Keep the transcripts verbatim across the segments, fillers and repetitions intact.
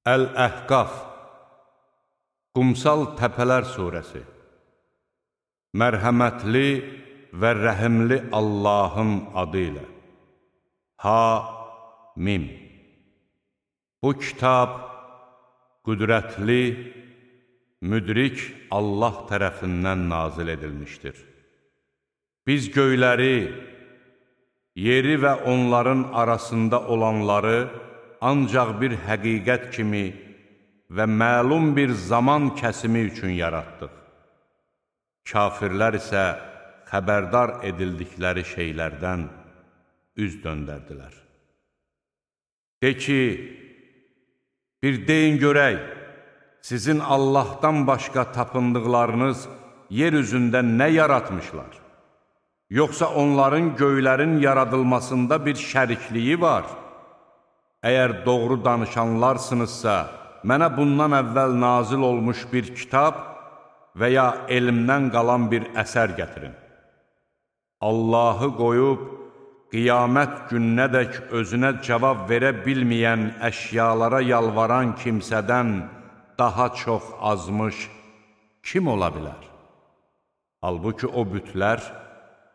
Əl-Əhqaf Qumsal Təpələr Suresi Mərhəmətli və rəhimli Allahın adı ilə Ha-Mim Bu kitab qüdrətli, müdrik Allah tərəfindən nazil edilmişdir. Biz göyləri, yeri və onların arasında olanları ancaq bir həqiqət kimi və məlum bir zaman kəsimi üçün yaratdıq. Kafirlər isə xəbərdar edildikləri şeylərdən üz döndərdilər. De ki, bir deyin görək, sizin Allahdan başqa tapındıqlarınız yer üzündə nə yaratmışlar? Yoxsa onların göylərin yaradılmasında bir şərikliyi var? Əgər doğru danışanlarsınızsa, mənə bundan əvvəl nazil olmuş bir kitab və ya elmdən qalan bir əsər gətirin. Allahı qoyub, qiyamət gününədək özünə cavab verə bilməyən əşyalara yalvaran kimsədən daha çox azmış kim ola bilər? Halbuki o bütlər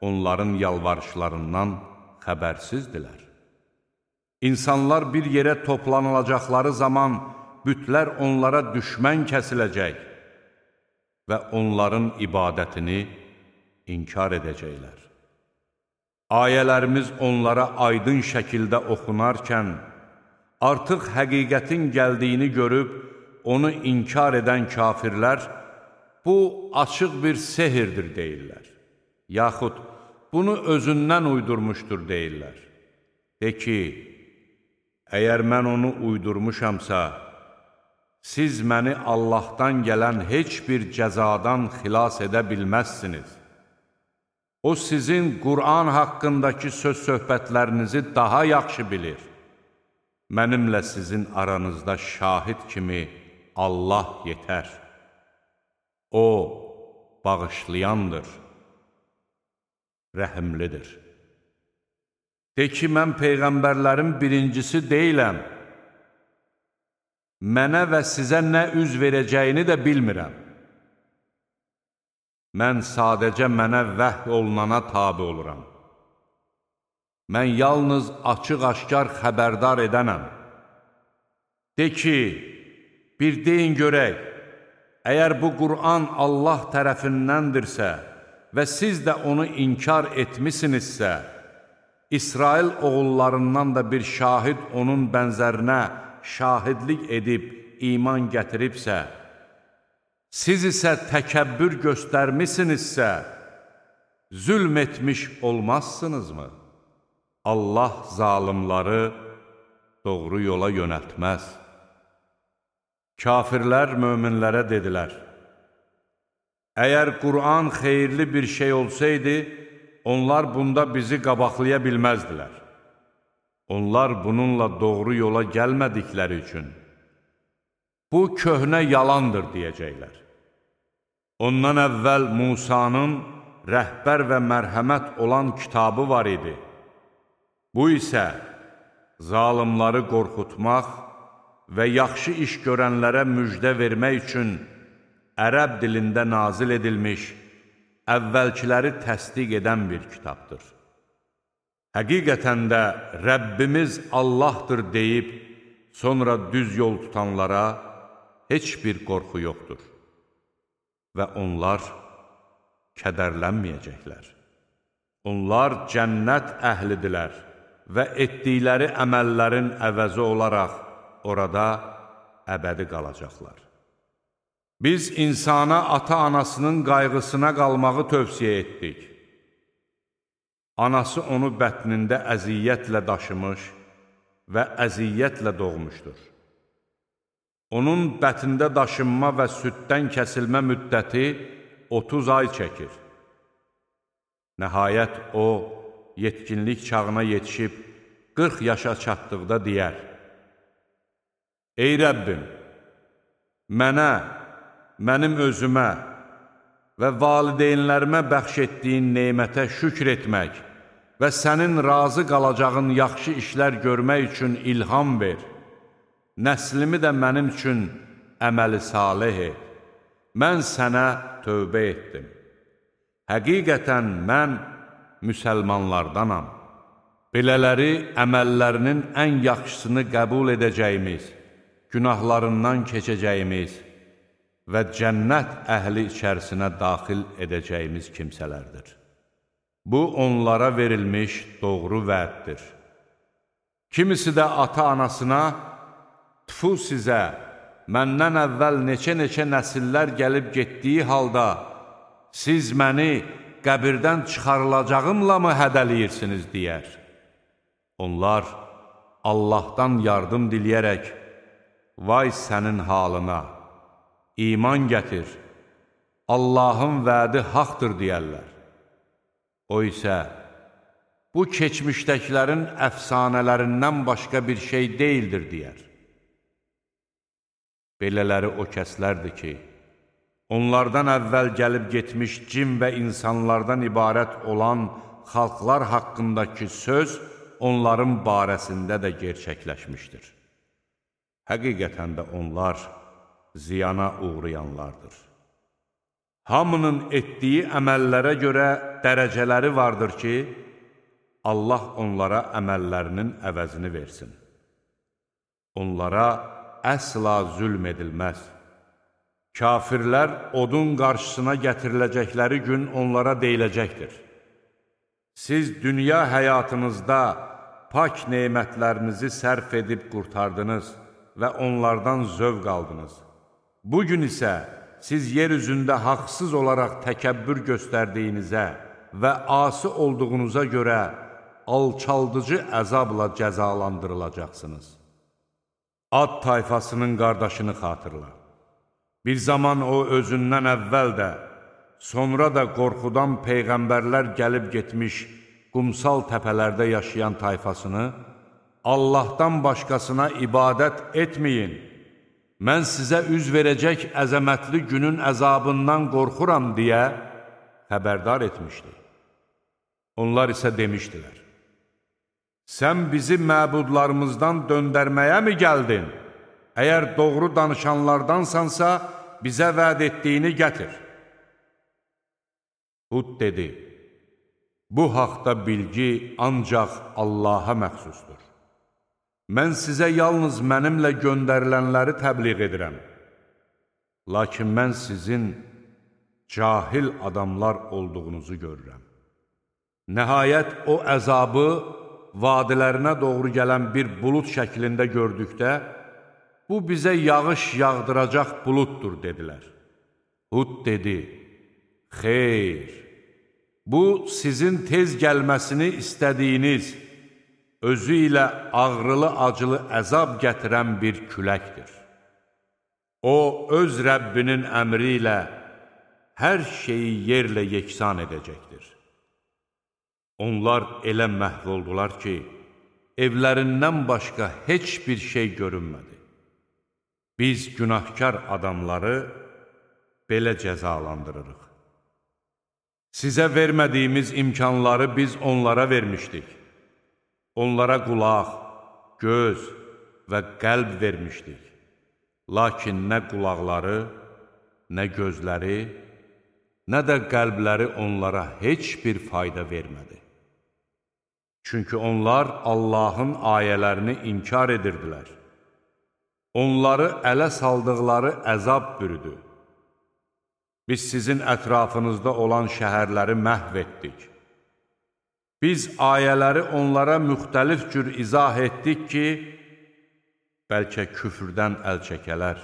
onların yalvarışlarından xəbərsizdilər. İnsanlar bir yerə toplanılacaqları zaman bütlər onlara düşmən kəsiləcək və onların ibadətini inkar edəcəklər. Ayələrimiz onlara aydın şəkildə oxunarkən, artıq həqiqətin gəldiyini görüb, onu inkar edən kafirlər, bu açıq bir sehirdir deyirlər. Yaxud, bunu özündən uydurmuşdur deyirlər. De ki, əgər mən onu uydurmuşamsa, siz məni Allahdan gələn heç bir cəzadan xilas edə bilməzsiniz. O, sizin Qur'an haqqındakı söz-söhbətlərinizi daha yaxşı bilir. Mənimlə sizin aranızda şahid kimi Allah yetər. O, bağışlayandır, rəhimlidir. De ki, mən peyğəmbərlərin birincisi deyiləm. Mənə və sizə nə üz verəcəyini də bilmirəm. Mən sadəcə mənə vəhy olunana tabi oluram. Mən yalnız açıq-aşkar xəbərdar edənəm. De ki, bir deyin görək, əgər bu Qur'an Allah tərəfindəndirsə və siz də onu inkar etmisinizsə, İsrail oğullarından da bir şahid onun bənzərinə şahidlik edib iman gətiribsə, siz isə təkəbbür göstərmisinizsə, zülm etmiş olmazsınızmı? Allah zalimları doğru yola yönəltməz. Kafirlər möminlərə dedilər, əgər Qur'an xeyirli bir şey olsaydı, onlar bunda bizi qabaqlaya bilməzdilər. Onlar bununla doğru yola gəlmədikləri üçün, bu köhnə yalandır deyəcəklər. Ondan əvvəl Musanın rəhbər və mərhəmət olan kitabı var idi. Bu isə zalimları qorxutmaq və yaxşı iş görənlərə müjdə vermək üçün ərəb dilində nazil edilmiş, əvvəlkiləri təsdiq edən bir kitabdır. Həqiqətən də Rəbbimiz Allahdır deyib, sonra düz yol tutanlara heç bir qorxu yoxdur və onlar kədərlənməyəcəklər. Onlar cənnət əhlidirlər və etdikləri əməllərin əvəzi olaraq orada əbədi qalacaqlar. Biz insana ata-anasının qayğısına qalmağı tövsiyə etdik. Anası onu bətnində əziyyətlə daşımış və əziyyətlə doğmuşdur. Onun bətində daşınma və süddən kəsilmə müddəti otuz ay çəkir. Nəhayət o, yetkinlik çağına yetişib qırx yaşa çatdıqda deyər, Ey Rəbbim, mənə, mənim özümə və valideynlərimə bəxş etdiyin neymətə şükr etmək və sənin razı qalacağın yaxşı işlər görmək üçün ilham ver. nəslimi də mənim üçün əməli salih et. Mən sənə tövbə etdim. Həqiqətən mən müsəlmanlardanam. Belələri əməllərinin ən yaxşısını qəbul edəcəyimiz, günahlarından keçəcəyimiz və cənnət əhli içərisinə daxil edəcəyimiz kimsələrdir. Bu, onlara verilmiş doğru vəddir. Kimisi də ata-anasına, tüfu sizə, məndən əvvəl neçə-neçə nəsillər gəlib getdiyi halda, siz məni qəbirdən çıxarılacağımla mı hədəliyirsiniz, deyər. Onlar Allahdan yardım diləyərək, vay sənin halına, iman gətir, Allahın vədi haqdır deyərlər. O isə, bu keçmişdəkilərin əfsanələrindən başqa bir şey deyildir, deyər. Belələri o kəslərdir ki, onlardan əvvəl gəlib getmiş cin və insanlardan ibarət olan xalqlar haqqındakı söz onların barəsində də gerçəkləşmişdir. Həqiqətən də onlar ziyana uğrayanlardır. Hamının etdiyi əməllərə görə dərəcələri vardır ki, Allah onlara əməllərinin əvəzini versin. Onlara əsla zülm edilməz. Kafirlər odun qarşısına gətiriləcəkləri gün onlara deyiləcəkdir. Siz dünya həyatınızda pak nemətlərinizi sərf edib qurtardınız və onlardan zövq aldınız. Bugün isə siz yer üzündə haqsız olaraq təkəbbür göstərdiyinizə və asi olduğunuza görə alçaldıcı əzabla cəzalandırılacaqsınız. Ad tayfasının qardaşını xatırla. Bir zaman o özündən əvvəl də, sonra da qorxudan peyğəmbərlər gəlib getmiş qumsal təpələrdə yaşayan tayfasını, Allahdan başqasına ibadət etməyin, mən sizə üz verəcək əzəmətli günün əzabından qorxuram deyə xəbərdar etmişdi. Onlar isə demişdilər, sən bizi məbudlarımızdan döndərməyə mi gəldin? Əgər doğru danışanlardansansa, bizə vəd etdiyini gətir. Hud dedi, bu haqda bilgi ancaq Allaha məxsusdur. Mən sizə yalnız mənimlə göndərilənləri təbliğ edirəm. Lakin mən sizin cahil adamlar olduğunuzu görürəm. Nəhayət o əzabı vadilərinə doğru gələn bir bulud şəklində gördükdə, bu bizə yağış yağdıracaq buluddur, dedilər. Hud dedi, xeyr, bu sizin tez gəlməsini istədiyiniz, özü ilə ağrılı-acılı əzab gətirən bir küləkdir. O, öz Rəbbinin əmri ilə hər şeyi yerlə yeksan edəcəkdir. Onlar elə məhv oldular ki, evlərindən başqa heç bir şey görünmədi. Biz günahkar adamları belə cəzalandırırıq. Sizə vermədiyimiz imkanları biz onlara vermişdik. Onlara qulaq, göz və qəlb vermişdik. Lakin nə qulaqları, nə gözləri, nə də qəlbləri onlara heç bir fayda vermədi. Çünki onlar Allahın ayələrini inkar edirdilər. Onları ələ saldıqları əzab bürüdü. Biz sizin ətrafınızda olan şəhərləri məhv etdik. Biz ayələri onlara müxtəlif cür izah etdik ki, bəlkə küfrdən əl çəkələr.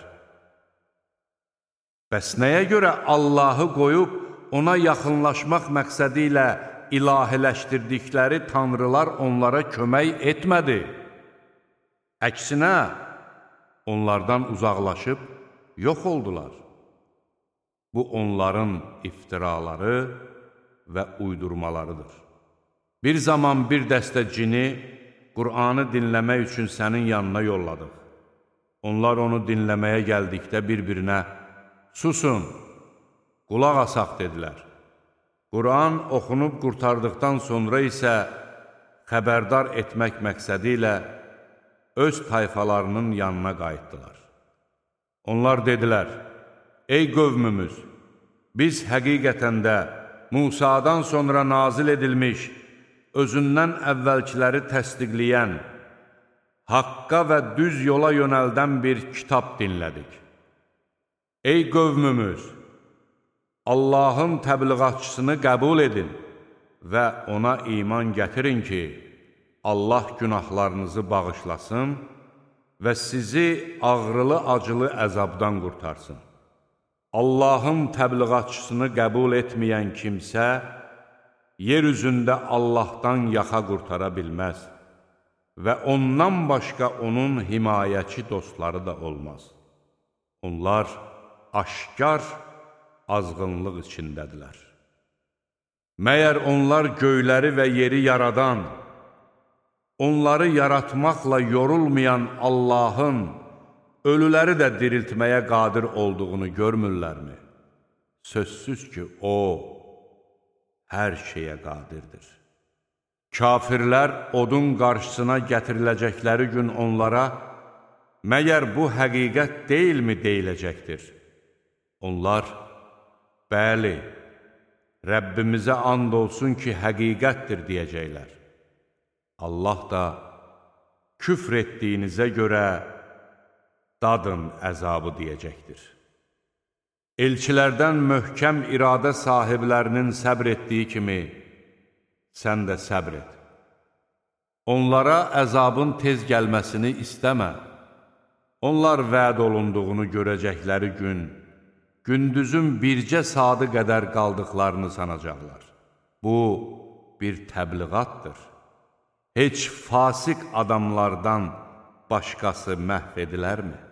Bəs nəyə görə Allahı qoyub, ona yaxınlaşmaq məqsədi ilə ilahiləşdirdikləri tanrılar onlara kömək etmədi? Əksinə, onlardan uzaqlaşıb yox oldular. Bu, onların iftiraları və uydurmalarıdır. Bir zaman bir dəstə cini Qur'anı dinləmək üçün sənin yanına yolladıq. Onlar onu dinləməyə gəldikdə bir-birinə, susun, qulaq asaq dedilər. Qur'an oxunub qurtardıqdan sonra isə xəbərdar etmək məqsədi ilə öz tayfalarının yanına qayıtdılar. Onlar dedilər, ey qövmümüz, biz həqiqətən də Musadan sonra nazil edilmiş, özündən əvvəlkiləri təsdiqləyən, haqqa və düz yola yönəldən bir kitab dinlədik. Ey qövmümüz, Allahın təbliğatçısını qəbul edin və ona iman gətirin ki, Allah günahlarınızı bağışlasın və sizi ağrılı-acılı əzabdan qurtarsın. Allahın təbliğatçısını qəbul etməyən kimsə, yer üzündə Allahdan yaxa qurtara bilməz və ondan başqa onun himayəçi dostları da olmaz. Onlar aşkar azğınlıq içindədirlər. Məyər onlar göyləri və yeri yaradan, onları yaratmaqla yorulmayan Allahın ölüləri də diriltməyə qadir olduğunu görmürlərmi? Sözsüz ki, O hər şeyə qadirdir. Kafirlər odun qarşısına gətiriləcəkləri gün onlara, məyər bu həqiqət deyilmi deyiləcəkdir? Onlar, bəli, Rəbbimizə and olsun ki, həqiqətdir deyəcəklər. Allah da küfr etdiyinizə görə dadın əzabı deyəcəkdir. Elçilərdən möhkəm iradə sahiblərinin səbr etdiyi kimi, sən də səbr et. Onlara əzabın tez gəlməsini istəmə. Onlar vəd olunduğunu görəcəkləri gün, gündüzün bircə saatı qədər qaldıqlarını sanacaqlar. Bu, bir təbliğatdır. Heç fasik adamlardan başqası məhv edilərmi?